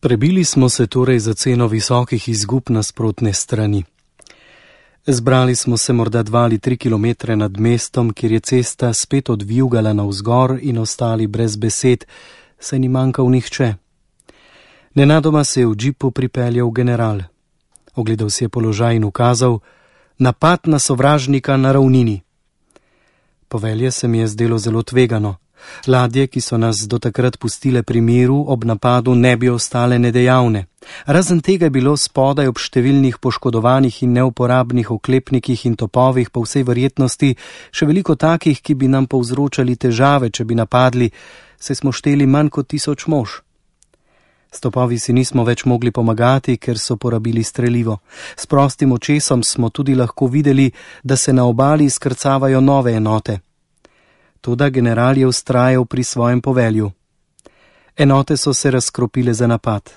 Prebili smo se torej za ceno visokih izgub nasprotne strani. Zbrali smo se morda 2 ali 3 kilometre nad mestom, kjer je cesta spet odvijugala navzgor in ostali brez besed, saj ni manjkal nihče. Nenadoma se je v džipu pripeljal general. Ogledal si je položaj in ukazal: napad na sovražnika na ravnini. Povelje se mi je zdelo zelo tvegano. Ladje, ki so nas do takrat pustile pri miru, ob napadu ne bi ostale nedejavne. Razen tega je bilo spodaj ob številnih poškodovanih in neuporabnih oklepnikih in topovih po vsej verjetnosti še veliko takih, ki bi nam povzročali težave, če bi napadli, saj smo šteli manj kot 1000 mož. S topovi si nismo več mogli pomagati, ker so porabili strelivo. S prostim očesom smo tudi lahko videli, da se na obali skrcavajo nove enote. Toda general je vztrajal pri svojem povelju. Enote so se razkropile za napad.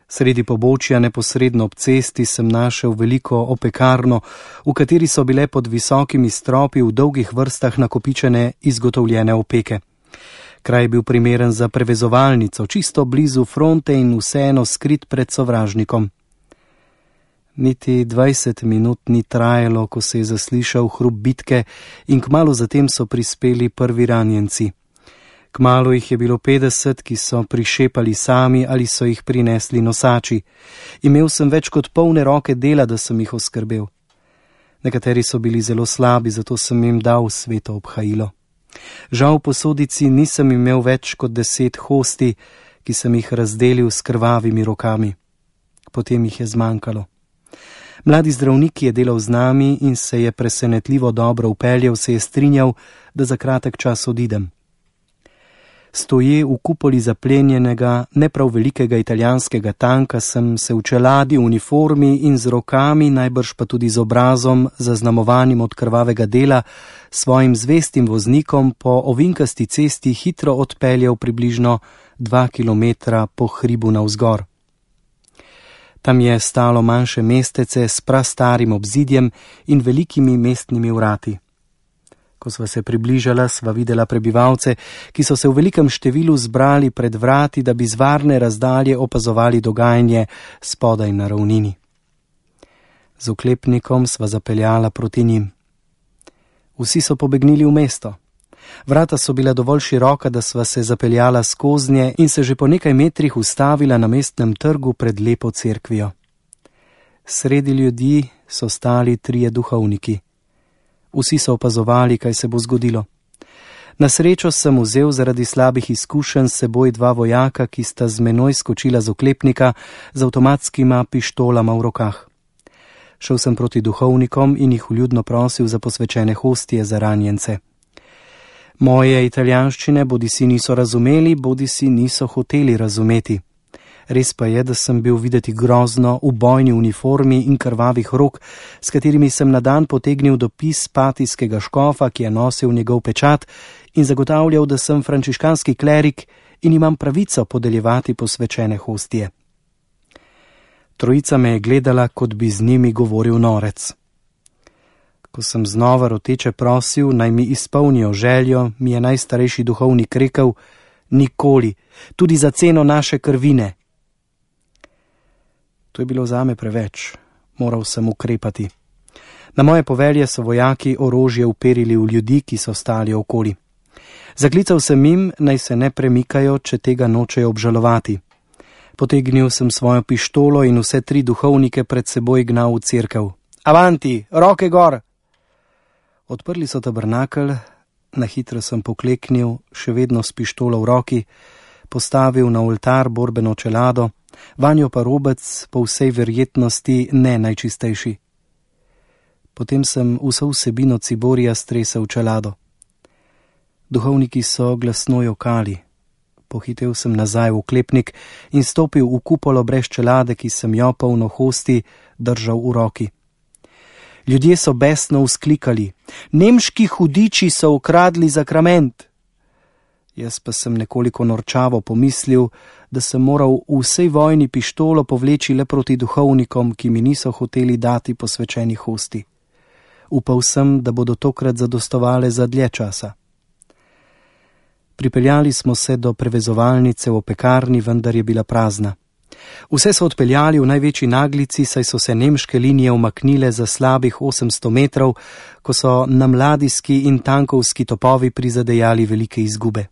Sredi pobočja, neposredno ob cesti, sem našel veliko opekarno, v kateri so bile pod visokimi stropi v dolgih vrstah nakopičene izgotovljene opeke. Kraj je bil primeren za prevezovalnico, čisto blizu fronte in vseeno skrit pred sovražnikom. Niti 20 minut ni trajalo, ko se je zaslišal hrup bitke in kmalu zatem so prispeli prvi ranjenci. Kmalu jih je bilo 50, ki so prišepali sami ali so jih prinesli nosači. Imel sem več kot polne roke dela, da sem jih oskrbel. Nekateri so bili zelo slabi, zato sem jim dal sveto obhajilo. Žal v posodici nisem imel več kot 10 hosti, ki sem jih razdelil s krvavimi rokami. Potem jih je zmanjkalo. Mladi zdravnik, ki je delal z nami in se je presenetljivo dobro upeljal, se je strinjal, da za kratek čas odidem. Stoje v kupoli zaplenjenega, ne prav velikega italijanskega tanka sem se v čeladi, uniformi in z rokami, najbrž pa tudi z obrazom, zaznamovanim od krvavega dela, svojim zvestim voznikom po ovinkasti cesti hitro odpeljal približno 2 kilometra po hribu navzgor. Tam je stalo manjše mestece s prastarim obzidjem in velikimi mestnimi vrati. Ko sva se približala, sva videla prebivalce, ki so se v velikem številu zbrali pred vrati, da bi z varne razdalje opazovali dogajanje spodaj na ravnini. Z oklepnikom sva zapeljala proti njim. Vsi so pobegnili v mesto. Vrata so bila dovolj široka, da sva se zapeljala skoznje in se že po nekaj metrih ustavila na mestnem trgu pred lepo cerkvijo. Sredi ljudi so stali 3 duhovniki. Vsi so opazovali, kaj se bo zgodilo. Na srečo sem vzel zaradi slabih izkušenj s seboj 2 vojaka, ki sta z menoj skočila z oklepnika z avtomatskima pištolama v rokah. Šel sem proti duhovnikom in jih vljudno prosil za posvečene hostije za ranjence. Moje italijanščine bodisi niso razumeli, bodisi niso hoteli razumeti. Res pa je, da sem bil videti grozno v bojni uniformi in krvavih rok, s katerimi sem na dan potegnil dopis patijskega škofa, ki je nosil njegov pečat in zagotavljal, da sem frančiškanski klerik in imam pravico podeljevati posvečene hostije. Trojica me je gledala, kot bi z njimi govoril norec. Ko sem znova roteče prosil, naj mi izpolnijo željo, mi je najstarejši duhovnik rekel: nikoli, tudi za ceno naše krvine. To je bilo zame preveč. Moral sem ukrepati. Na moje povelje so vojaki orožje uperili v ljudi, ki so stali okoli. Zaklical sem jim, naj se ne premikajo, če tega nočejo obžalovati. Potegnil sem svojo pištolo in vse 3 duhovnike pred seboj gnal v cerkev. Avanti, roke gor! Odprli so tabernakelj, na hitro sem pokleknil, še vedno s pištolo v roki, postavil na oltar borbeno čelado, vanjo pa robec, po vsej verjetnosti ne najčistejši. Potem sem vso vsebino ciborija stresel v čelado. Duhovniki so glasno jokali. Pohitev sem nazaj v oklepnik in stopil v kupolo brez čelade, ki sem jo polno hosti držal v roki. Ljudje so besno vzklikali: nemški hudiči so ukradli zakrament! Jaz pa sem nekoliko norčavo pomislil, da sem moral v vsej vojni pištolo povleči le proti duhovnikom, ki mi niso hoteli dati posvečenih hosti. Upal sem, da bodo tokrat zadostovale za dlje časa. Pripeljali smo se do prevezovalnice v opekarni, vendar je bila prazna. Vse so odpeljali v največji naglici, saj so se nemške linije umaknile za slabih 800 metrov, ko so nam ladijski in tankovski topovi prizadejali velike izgube.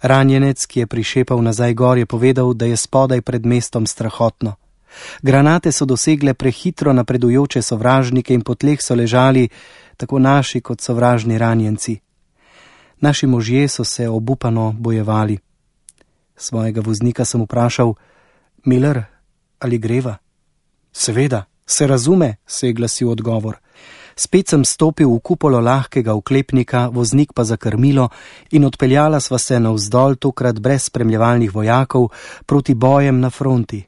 Ranjenec, ki je prišepal nazaj gor, je povedal, da je spodaj pred mestom strahotno. Granate so dosegle prehitro napredujoče sovražnike in po tleh so ležali tako naši kot sovražni ranjenci. Naši možje so se obupano bojevali. Svojega voznika sem vprašal: Miller, ali greva? Seveda, se razume, se je glasil odgovor. Spet sem stopil v kupolo lahkega oklepnika, voznik pa za krmilo in odpeljala sva se navzdol, tokrat brez spremljevalnih vojakov, proti bojem na fronti.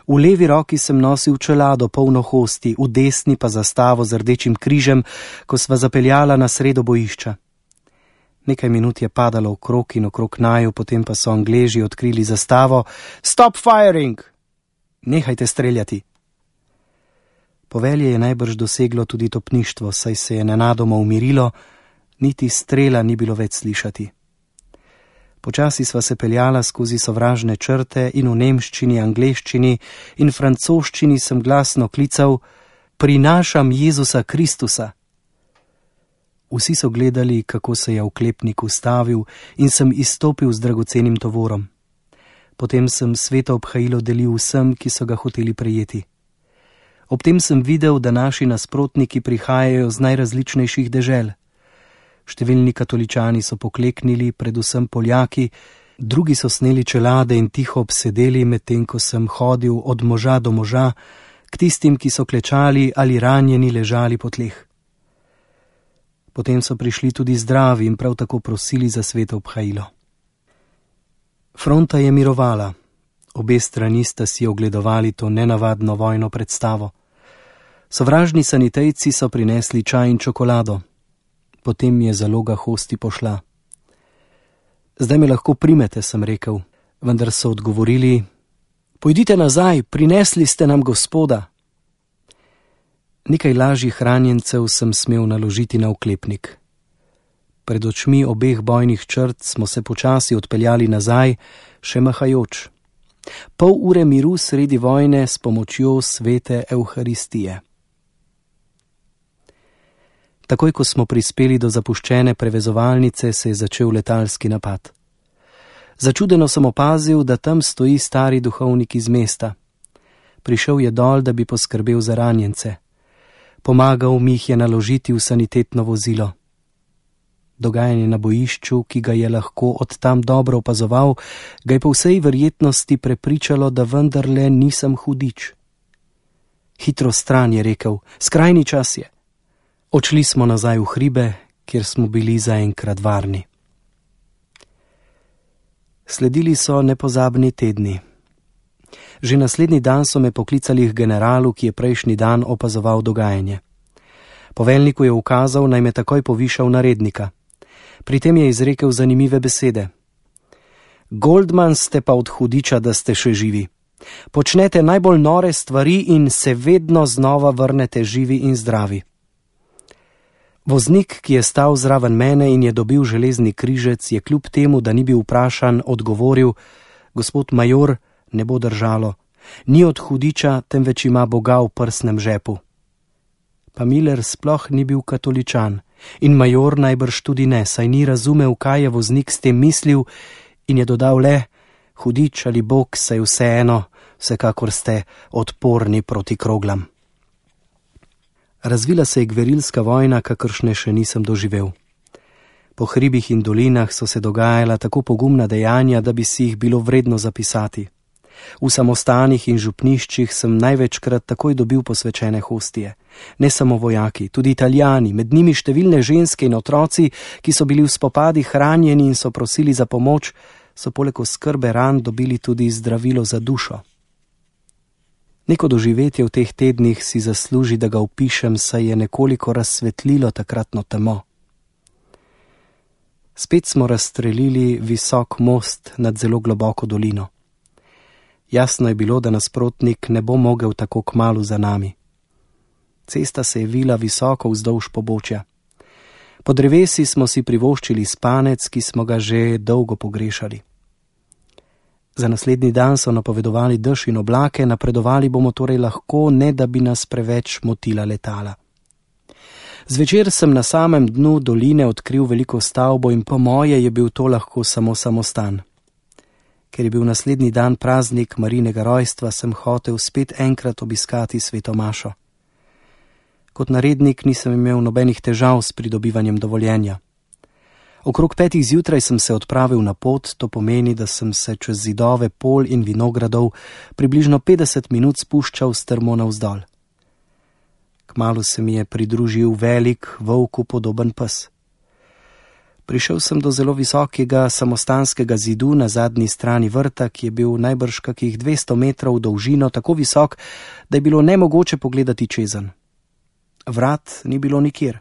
V levi roki sem nosil čelado polno hosti, v desni pa zastavo z rdečim križem, ko sva zapeljala na sredo bojišča. Nekaj minut je padalo okrog in okrog naju, potem pa so Angleži odkrili zastavo: Stop firing! Nehajte streljati! Povelje je najbrž doseglo tudi topništvo, saj se je nenadoma umirilo, niti strela ni bilo več slišati. Počasi sva se peljala skozi sovražne črte in v nemščini, angleščini in francoščini sem glasno klical: Prinašam Jezusa Kristusa! Vsi so gledali, kako se je oklepnik ustavil, in sem izstopil z dragocenim tovorom. Potem sem sveto obhajilo delil vsem, ki so ga hoteli prejeti. Ob tem sem videl, da naši nasprotniki prihajajo z najrazličnejših dežel. Številni katoličani so pokleknili, predvsem Poljaki, drugi so sneli čelade in tiho obsedeli, medtem ko sem hodil od moža do moža, k tistim, ki so klečali ali ranjeni ležali po tleh. Potem so prišli tudi zdravi in prav tako prosili za sveto obhajilo. Fronta je mirovala. Obe strani sta si ogledovali to nenavadno vojno predstavo. Sovražni sanitejci so prinesli čaj in čokolado. Potem je zaloga hosti pošla. Zdaj me lahko primete, sem rekel, vendar so odgovorili: Pojdite nazaj, prinesli ste nam Gospoda. Nekaj lažjih ranjencev sem smel naložiti na oklepnik. Pred očmi obeh bojnih črt smo se počasi odpeljali nazaj, še mahajoč. Pol ure miru sredi vojne s pomočjo svete Evharistije. Takoj, ko smo prispeli do zapuščene prevezovalnice, se je začel letalski napad. Začudeno sem opazil, da tam stoji stari duhovnik iz mesta. Prišel je dol, da bi poskrbel za ranjence. Pomagal mi jih je naložiti v sanitetno vozilo. Dogajanje na bojišču, ki ga je lahko od tam dobro opazoval, ga je po vsej verjetnosti prepričalo, da vendarle nisem hudič. Hitro stran, je rekel, skrajni čas je. Odšli smo nazaj v hribe, kjer smo bili zaenkrat varni. Sledili so nepozabni tedni. Že naslednji dan so me poklicali k generalu, ki je prejšnji dan opazoval dogajanje. Poveljniku je ukazal, naj me takoj povišal na rednika. Pri tem je izrekel zanimive besede. Goldman ste pa od hudiča, da ste še živi. Počnete najbolj nore stvari in se vedno znova vrnete živi in zdravi. Voznik, ki je stal zraven mene in je dobil železni križec, je kljub temu, da ni bil vprašan, odgovoril: Gospod major, ne bo držalo. Ni od hudiča, temveč ima Boga v prsnem žepu. Pa Miller sploh ni bil katoličan in major najbrž tudi ne, saj ni razumel, kaj je voznik s tem mislil, in je dodal le: Hudič ali Bog, saj vseeno, vsekakor ste odporni proti kroglam. Razvila se je gverilska vojna, kakršne še nisem doživel. Po hribih in dolinah so se dogajala tako pogumna dejanja, da bi si jih bilo vredno zapisati. V samostanih in župniščih sem največkrat takoj dobil posvečene hostije. Ne samo vojaki, tudi Italijani, med njimi številne ženske in otroci, ki so bili v spopadih ranjeni in so prosili za pomoč, so poleg oskrbe ran dobili tudi zdravilo za dušo. Neko doživetje v teh tednih si zasluži, da ga opišem, saj je nekoliko razsvetlilo takratno temo. Spet smo razstrelili visok most nad zelo globoko dolino. Jasno je bilo, da nasprotnik ne bo mogel tako kmalu za nami. Cesta se je vila visoko vzdolž pobočja. Po drevesi smo si privoščili spanec, ki smo ga že dolgo pogrešali. Za naslednji dan so napovedovali dež in oblake, napredovali bomo torej lahko, ne da bi nas preveč motila letala. Zvečer sem na samem dnu doline odkril veliko stavbo in po moje je bil to lahko samo samostan. Ker je bil naslednji dan praznik Marijinega rojstva, sem hotel spet enkrat obiskati sveto mašo. Kot narednik nisem imel nobenih težav s pridobivanjem dovoljenja. Okrog 5 zjutraj sem se odpravil na pot, to pomeni, da sem se čez zidove pol in vinogradov približno 50 minut spuščal strmo navzdol. Kmalu se mi je pridružil velik, volku podoben pes. Prišel sem do zelo visokega samostanskega zidu na zadnji strani vrta, ki je bil najbrž kakih 200 metrov v dolžino, tako visok, da je bilo nemogoče pogledati čezenj. Vrat ni bilo nikjer.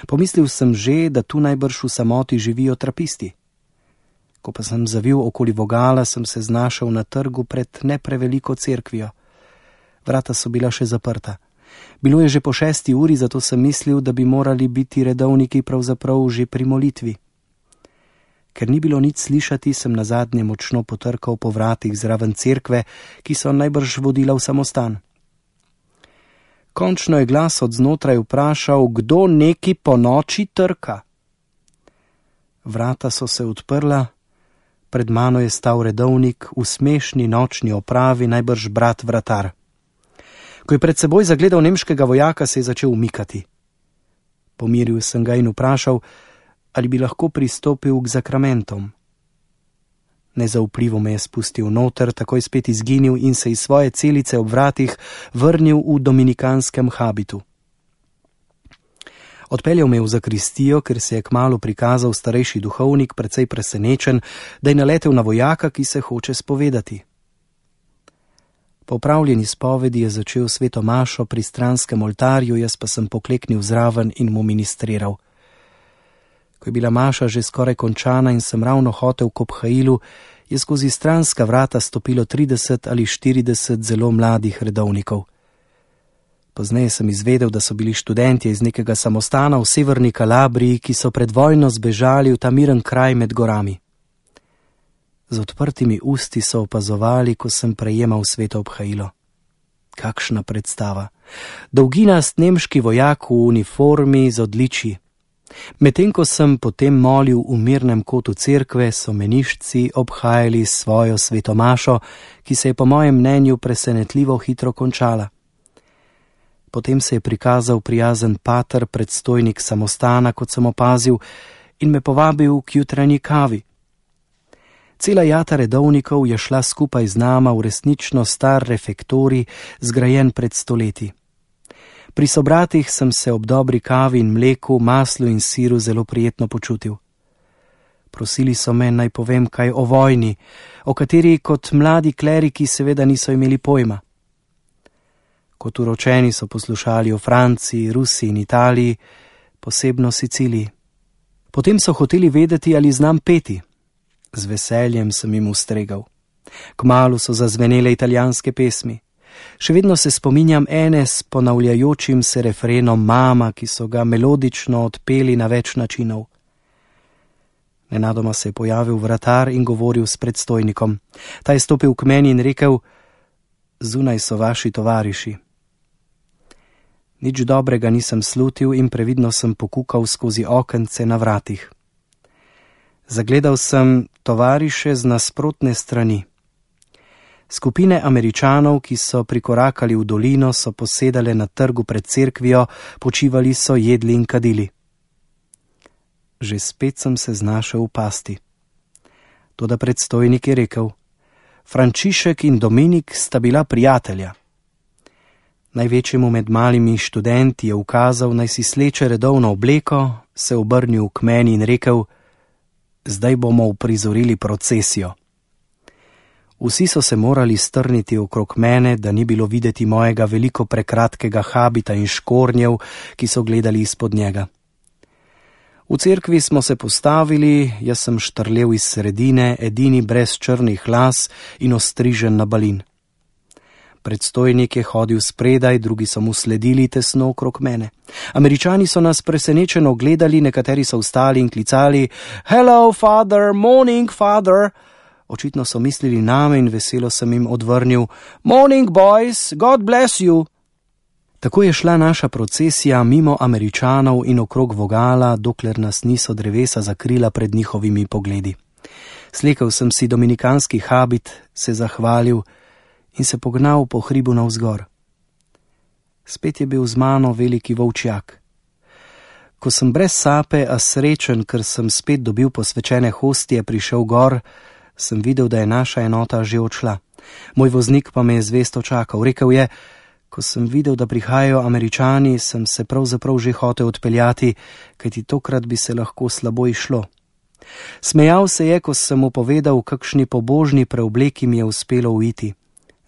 Pomislil sem že, da tu najbrž v samoti živijo trapisti. Ko pa sem zavil okoli vogala, sem se znašel na trgu pred ne preveliko cerkvijo. Vrata so bila še zaprta. Bilo je že po 6. uri, zato sem mislil, da bi morali biti redovniki pravzaprav že pri molitvi. Ker ni bilo nič slišati, sem nazadnje močno potrkal po vratih zraven cerkve, ki so najbrž vodila v samostan. Končno je glas od znotraj vprašal, kdo neki po noči trka. Vrata so se odprla, pred mano je stal redovnik v smešni nočni opravi, najbrž brat vratar. Ko je pred seboj zagledal nemškega vojaka, se je začel umikati. Pomiril sem ga in vprašal, ali bi lahko pristopil k zakramentom. Nezaupljivo me je spustil noter, takoj spet izginil in se iz svoje celice ob vratih vrnil v dominikanskem habitu. Odpeljal me v zakristijo, ker se je kmalu prikazal starejši duhovnik, precej presenečen, da je naletel na vojaka, ki se hoče spovedati. Po opravljeni spovedi je začel sveto mašo pri stranskem oltarju, jaz pa sem pokleknil zraven in mu ministriral. Ko je bila maša že skoraj končana in sem ravno hotel k obhajilu, je skozi stranska vrata stopilo 30 ali 40 zelo mladih redovnikov. Pozneje sem izvedel, da so bili študentje iz nekega samostana v severni Kalabriji, ki so pred vojno zbežali v ta miren kraj med gorami. Z odprtimi usti so opazovali, ko sem prejemal sveto obhajilo. Kakšna predstava! Dolginast nemški vojak v uniformi z odličji. Medtem ko sem potem molil v mirnem kotu cerkve, so meniščci obhajali svojo sveto mašo, ki se je po mojem mnenju presenetljivo hitro končala. Potem se je prikazal prijazen pater, predstojnik samostana, kot sem opazil, in me povabil k jutranji kavi. Cela jata redovnikov je šla skupaj z nama v resnično star refektorij, zgrajen pred stoletji. Pri sobratih sem se ob dobri kavi in mleku, maslu in siru zelo prijetno počutil. Prosili so me, naj povem kaj o vojni, o kateri kot mladi kleriki seveda niso imeli pojma. Kot uročeni so poslušali o Franciji, Rusiji in Italiji, posebno Siciliji. Potem so hoteli vedeti, ali znam peti. Z veseljem sem jim ustregal. Kmalu so zazvenele italijanske pesmi. Še vedno se spominjam ene s ponavljajočim se refrenom Mama, ki so ga melodično odpeli na več načinov. Nenadoma se je pojavil vratar in govoril s predstojnikom. Ta je stopil k meni in rekel, zunaj so vaši tovariši. Nič dobrega nisem slutil in previdno sem pokukal skozi okence na vratih. Zagledal sem tovariše z nasprotne strani. Skupine Američanov, ki so prikorakali v dolino, so posedale na trgu pred cerkvijo, počivali so, jedli in kadili. Že spet sem se znašel v pasti. Toda predstojnik je rekel, Frančišek in Dominik sta bila prijatelja. Največjemu med malimi študenti je ukazal, naj si sleče redovno obleko, se obrnil k meni in rekel, zdaj bomo uprizorili procesijo. Vsi so se morali strniti okrog mene, da ni bilo videti mojega veliko prekratkega habita in škornjev, ki so gledali izpod njega. V cerkvi smo se postavili, jaz sem štrlel iz sredine, edini brez črnih las in ostrižen na balin. Predstojnik je hodil spredaj, drugi so mu sledili tesno okrog mene. Američani so nas presenečeno gledali, nekateri so vstali in klicali, Hello, father, morning, father! Očitno so mislili name in veselo sem jim odvrnil: "Morning, boys, God bless you." Tako je šla naša procesija mimo Američanov in okrog vogala, dokler nas niso drevesa zakrila pred njihovimi pogledi. Slekel sem si dominikanski habit, se zahvalil in se pognal po hribu navzgor. Spet je bil z mano veliki volčjak. Ko sem brez sape, a srečen, ker sem spet dobil posvečene hostije, prišel gor, sem videl, da je naša enota že odšla. Moj voznik pa me je zvesto čakal. Rekel je: "Ko sem videl, da prihajajo Američani, sem se pravzaprav že hotel odpeljati, kajti tokrat bi se lahko slabo izšlo." Smejal se je, ko sem mu povedal, kakšni pobožni preobleki mi je uspelo uiti,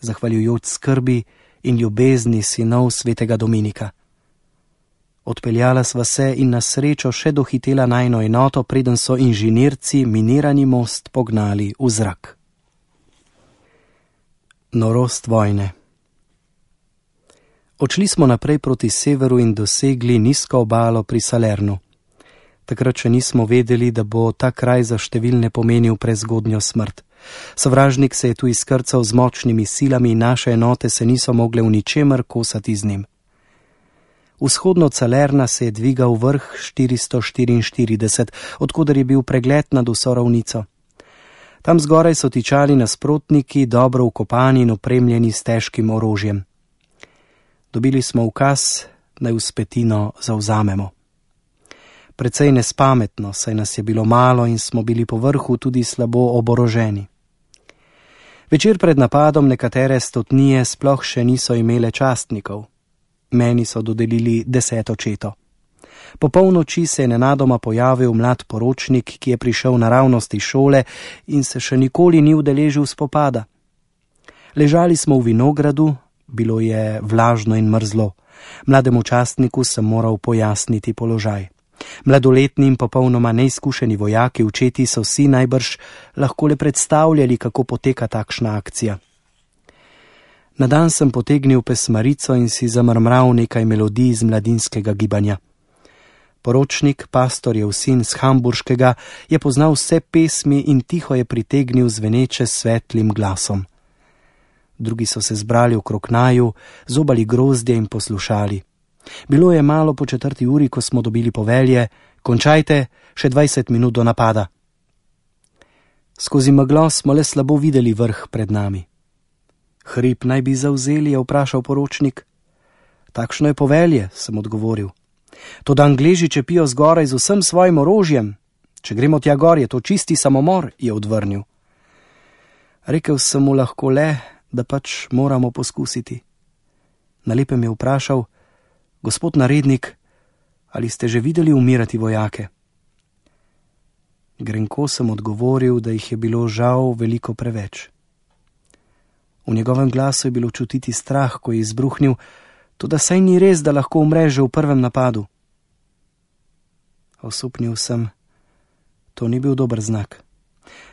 zahvaljujoč skrbi in ljubezni sinov svetega Dominika. Odpeljala sva se in na srečo še dohitela najino enoto, preden so inženirci minirani most pognali v zrak. Norost vojne. Odšli smo naprej proti severu in dosegli nizko obalo pri Salernu. Takrat še nismo vedeli, da bo ta kraj za številne pomenil prezgodnjo smrt. Sovražnik se je tu izkrcal z močnimi silami in naše enote se niso mogle v ničemer kosati z njim. Vzhodno od Salerna se je dvigal vrh 444, odkoder je bil pregled nad vso ravnico. Tam zgoraj so tičali nasprotniki, dobro vkopani in opremljeni s težkim orožjem. Dobili smo ukaz, naj vzpetino zavzamemo. Precej nespametno, saj nas je bilo malo in smo bili po vrhu tudi slabo oboroženi. Večer pred napadom nekatere stotnije sploh še niso imele častnikov. Meni so dodelili 10. četo. Po polnoči se je nenadoma pojavil mlad poročnik, ki je prišel naravnost iz šole in se še nikoli ni udeležil spopada. Ležali smo v vinogradu, bilo je vlažno in mrzlo. Mlademu častniku sem moral pojasniti položaj. Mladoletni in popolnoma neizkušeni vojaki v četi so vsi najbrž lahko le predstavljali, kako poteka takšna akcija. Na dan sem potegnil pesmarico in si zamrmral nekaj melodij iz mladinskega gibanja. Poročnik, pastorjev sin z Hamburškega, je poznal vse pesmi in tiho je pritegnil zveneče svetlim glasom. Drugi so se zbrali okrog naju, zobali grozdje in poslušali. Bilo je malo po 4. uri, ko smo dobili povelje: "Končajte, še 20 minut do napada." Skozi meglo smo le slabo videli vrh pred nami. "Hrib naj bi zavzeli?" je vprašal poročnik. "Takšno je povelje," sem odgovoril. "Toda Angleži čepijo zgoraj z vsem svojim orožjem. Če gremo tja gor, je to čisti samomor," je odvrnil. Rekel sem mu lahko le, da pač moramo poskusiti. Na lepem je vprašal: "Gospod narednik, ali ste že videli umirati vojake?" Grenko sem odgovoril, da jih je bilo žal veliko preveč. V njegovem glasu je bilo čutiti strah, ko je izbruhnil: "Toda saj ni res, da lahko umreš že v prvem napadu." Osupnil sem: "To ni bil dober znak.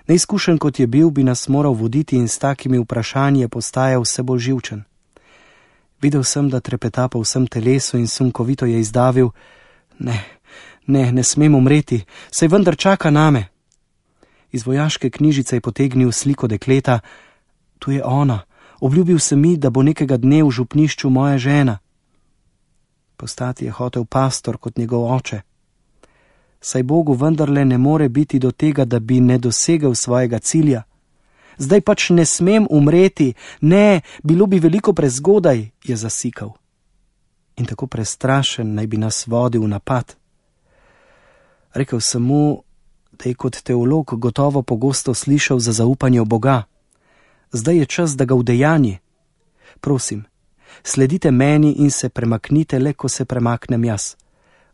Neizkušen kot je bil, bi nas moral voditi in s takimi vprašanji je postajal vse bolj živčen. Videl sem, da trepeta po vsem telesu in sunkovito je izdavil: Ne smem umreti, saj vendar čaka name." Iz vojaške knjižice je potegnil sliko dekleta. "Tu je ona, obljubil sem mi, da bo nekega dne v župnišču moja žena." Postati je hotel pastor kot njegov oče. Saj Bogu vendarle ne more biti do tega, da bi ne dosegel svojega cilja. "Zdaj pač ne smem umreti, ne, bilo bi veliko prezgodaj," je zasikal. In tako prestrašen naj bi nas vodil v napad. Rekel sem mu, da je kot teolog gotovo pogosto slišal za zaupanje v Boga. Zdaj je čas, da ga udejanji. Prosim, sledite meni in se premaknite le, ko se premaknem jaz.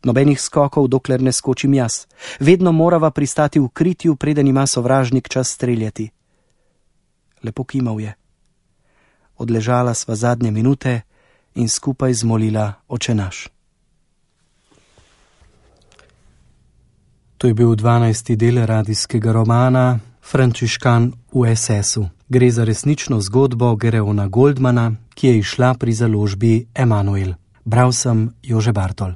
Nobenih skokov, dokler ne skočim jaz. Vedno morava pristati v kritju, preden ima sovražnik čas streljati. Lepo kimal je. Odležala sva zadnje minute in skupaj zmolila Oče naš. To je bil 12. del radijskega romana Frančiškan v SS-u. Gre za resnično zgodbo Gereona Goldmana, ki je izšla pri založbi Emanuel. Bral sem Jože Bartol.